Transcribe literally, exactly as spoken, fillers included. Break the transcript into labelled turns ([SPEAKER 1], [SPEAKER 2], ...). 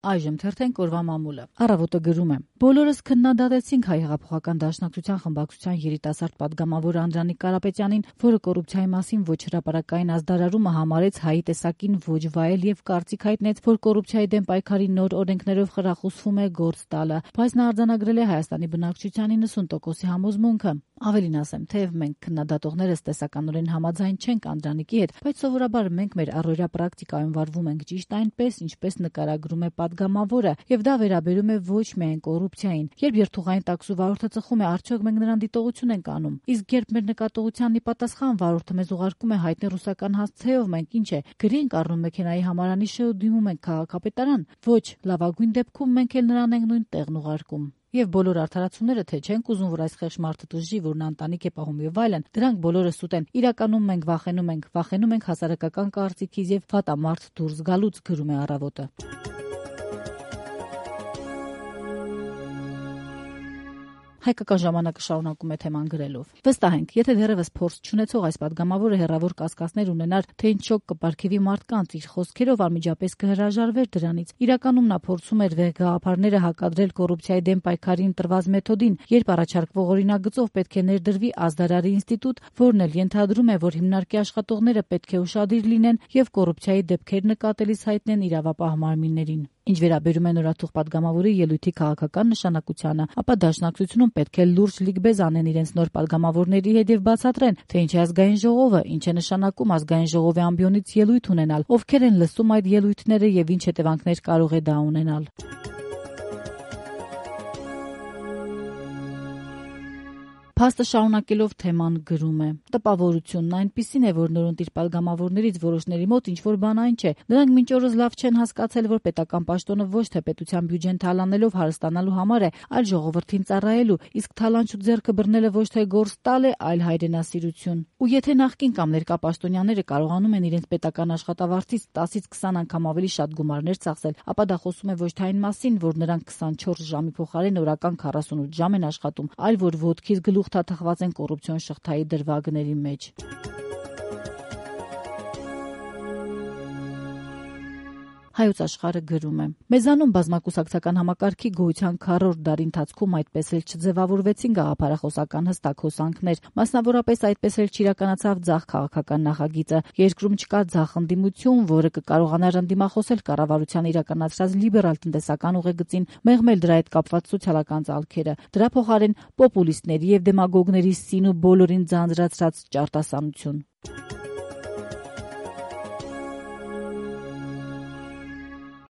[SPEAKER 1] Այժմ թերթենք օրվա մամուլը։ Առավոտը գրում է. Բոլորս քննադատեցինք Հայ հեղափոխական դաշնակցության խմբակցության երիտասարդ պատգամավոր Անդրանիկ Կարապետյանին, որը կոռուպցիայի մասին ոչ հրապարակային ազդարարումը համարեց հայի տեսակին ոչ վայել եւ կարծիք հայտնեց, որ կոռուպցիայի դեմ պայքարի նոր օրենքներով խրախուսվում է գործ տալը, բայց նա արձանագրել է Հայաստանի բնակչության իննսուն տոկոսի համոզմունքը։ Ավելին ասեմ, թեև մենք քննադատողներս տեսականորեն համաձայն չենք Անդրանիկի հետ, բայց սովորաբար մենք մեր առօրյա պրակտիկայում վարվում ենք ճիշտ այնպես, ինչպես նկարագրում է պատգամավորը, եւ դա վերաբերում է ոչ միայն կոռուպցիային։ Երբ երթուղային տաքսու վարորդը ծխում է, արդյոք մենք նրան դիտողություն ենք անում։ Իսկ երբ մեր նկատողությանն ի պատասխան վարորդը մեզ ուղարկում է հայտնի ռուսական հասցեով, մենք ինչ է, գրի ենք առնում մեքենայի համարանիշը ու դիմում ենք քաղաքապետարան։ Ոչ, լավագույն դեպքում մենք էլ նրան ենք նույն տեղն ուղարկում։ Եվ բոլոր արդարացումները, թե չենք ուզում, որ այս խեղճ մարդը տուժի, որ նա ընտանիք է պահում եւ այլն, դրանք բոլորը սուտ են։ Իրականում մենք վախենում ենք, վախենում ենք հասարակական կարծիքից եւ վատամարդ դուրս գալուց, գրում է Առավոտը։ Հայկական ժամանակը շարունակում է թեման գրելով. Վստահ ենք, եթե դեռևս փորձ չունեցող այս պատգամավորը հեռավոր կասկածներ ունենար, թե ինչ շոկ կպարգևի մարդկանց, իր խոսքերով անմիջապես կհրաժարվեր դրանից։ Իրականում նա փորձում էր վեր գաղափարները հակադրել կոռուպցիայի դեմ պայքարին տրված մեթոդին, երբ առաջարկվող օրինագծով պետք է ներդրվի ազդարարի ինստիտուտ, որն էլ ենթադրում է, որ հիմնարկի աշխատողները պետք է ուշադիր լինեն եւ կոռուպցիայի դեպքեր նկատելիս հայտնեն իրավապահ մարմիններին։ Ինչ վերաբերում է նորաթուխ պատգամավորի ելույթի քաղաքական նշանակությանը, ապա դաշնակցությունում պետք է լուրջ լիգբեզ անեն իրենց նոր պատգամավորների հետ եւ բացատրեն, թե ինչ է ազգային ժողովը, ինչ է նշանակում ազգային ժողովի ամբիոնից ելույթ ունենալ, ովքեր են լսում այդ ելույթները եւ ինչ հետևանքներ կարող է դա ունենալ։ Փաստը շարունակելով թեման գրում է. Տպավորությունն այնպիսին է, որ նորընտիր պատգամավորներից որոշների մոտ ինչ-որ բան այն չէ։ Նրանք մինչ օրս լավ չեն հասկացել, որ պետական պաշտոնը ոչ թե պետության բյուջեն թալանելով հարստանալու համար է, այլ ժողովրդին ծառայելու, իսկ թալանչու ձեռքը բռնելը ոչ թե գործ տալ է, այլ հայրենասիրություն։ Ու եթե նախկին կամ ներկա պաշտոնյաները կարողանում են իրենց պետական աշխատավարձից տասից քսան անգամ ավելի շատ գումարներ ծախսել, ապա դա խոսում է ոչ թե այն մասին, որ նրանք քսանչորս ժամի փոխարեն օրական քառասունութ ժամ են աշխատում, այլ որ ոտքից գլուխ թաթխված են կոռուպցիոն շղթայի դրվագների մեջ։ Հայոց աշխարհը գրում է. Մեզանում բազմակուսակցական համակարգի գոյության քառորդ դարի ընթացքում այդպես էլ չձևավորվեցին գաղափարախոսական հստակ հոսանքներ, մասնավորապես այդպես էլ չիրականացավ ձախ քաղաքական նախագիծը։ Երկրում չկա ձախ ընդդիմություն, որը կկարողանար ընդդիմախոսել կառավարության իրականացրած լիբերալ տնտեսական ուղեգծին, մեղմել դրա հետ կապված սոցիալական ծալքերը։ Դրա փոխարեն պոպուլիստների եւ դեմագոգների սին ու բոլորին ձանձրացրած ճարտասանություն։